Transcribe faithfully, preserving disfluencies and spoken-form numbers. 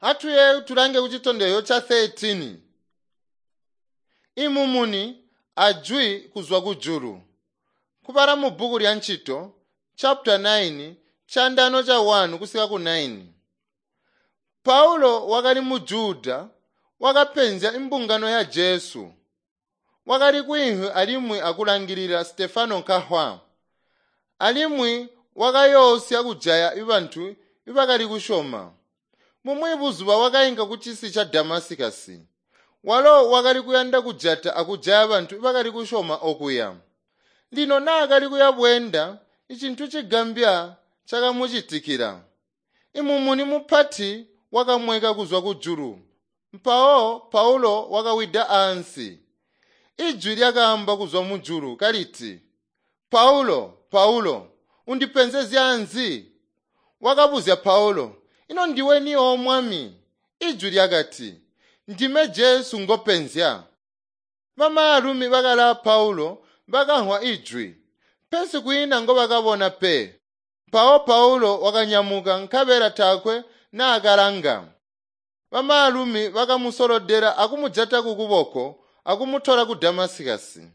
Atuye tulange kucitondezyo ca thirteen. Imumuni ajwi kuzwa kujulu. Kubala mu bbuku lya Ncito chapter nine chandano cha one kusika ku nine. Paulo wakali mu Juda wakapenzya imbungano ya Jesu. Wakali kwinhwi alimwi akulangilila Stefano nkahwa. Alimwi wakayoosya kujaya ibantu ibakali kusyoma. Mumwi buzuba wakainka kucisi ca Damasikasi. Walo wakali kuyanda kujata akujaya bantu ibakali kusyoma okuya. Lino naakali kuya bweenda, icintu cigambya cakamucitikila. Imumuni mupati wakamweka kuzwa kujulu. Mpawo Paulo wakawida ansi. Ijwi lyakaamba kuzwa mujulu kaliti, Paulo, Paulo, undipenzezya nzi? Wakabuzya Paulo, ino ndiwe ni o Mwami? Ijwi lyakati, ndime Jesu ngopenzya. Bamaalumi bakala Paulo bakamvwa ijwi, pesi kwiina ngobakabona pe. Mpawo Paulo wakanyamuka nkabela taakwe naakalanga. Bamaalumi bakamusolodela akumujata kukuboko akumutola ku Damasikasi.